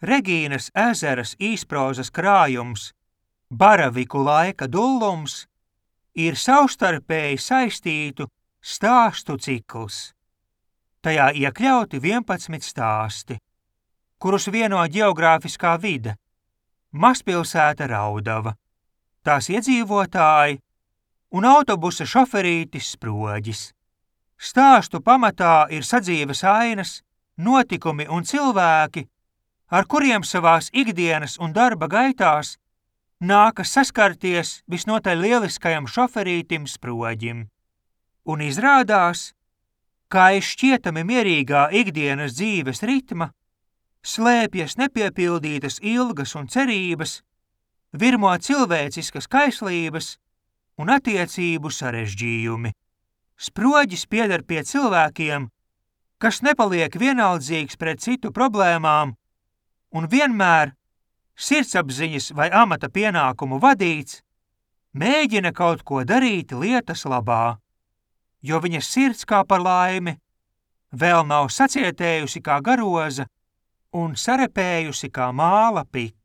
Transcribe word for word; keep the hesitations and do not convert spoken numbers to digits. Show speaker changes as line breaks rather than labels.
Regīnas ezeras īsprozas krājums Baraviku laika dullums ir savstarpēji saistītu stāstu cikls. Tajā iekļauti vienpadsmit stāsti, kurus vieno ģeogrāfiskā vide – mazpilsēta Raudava, tās iedzīvotāji un autobusa šoferītis Sproģis. Stāstu pamatā ir sadzīves ainas, notikumi un cilvēki, ar kuriem savās ikdienas un darba gaitās nākas saskarties visnotaļ lieliskajam šoferītim Sproģim. Un izrādās, kā aiz šķietami mierīgā ikdienas dzīves ritma slēpjas nepiepildītas ilgas un cerības, virmo cilvēciskas kaislības un attiecību sarežģījumi. Sproģis pieder pie cilvēkiem, kas nepaliek vienaldzīgs pret citu problēmām un vienmēr, sirdsapziņas vai amata pienākumu vadīts, mēģina kaut ko darīt lietas labā, jo viņa sirds kā par laimi vēl nav sacietējusi kā garoza un sarepējusi kā māla pika.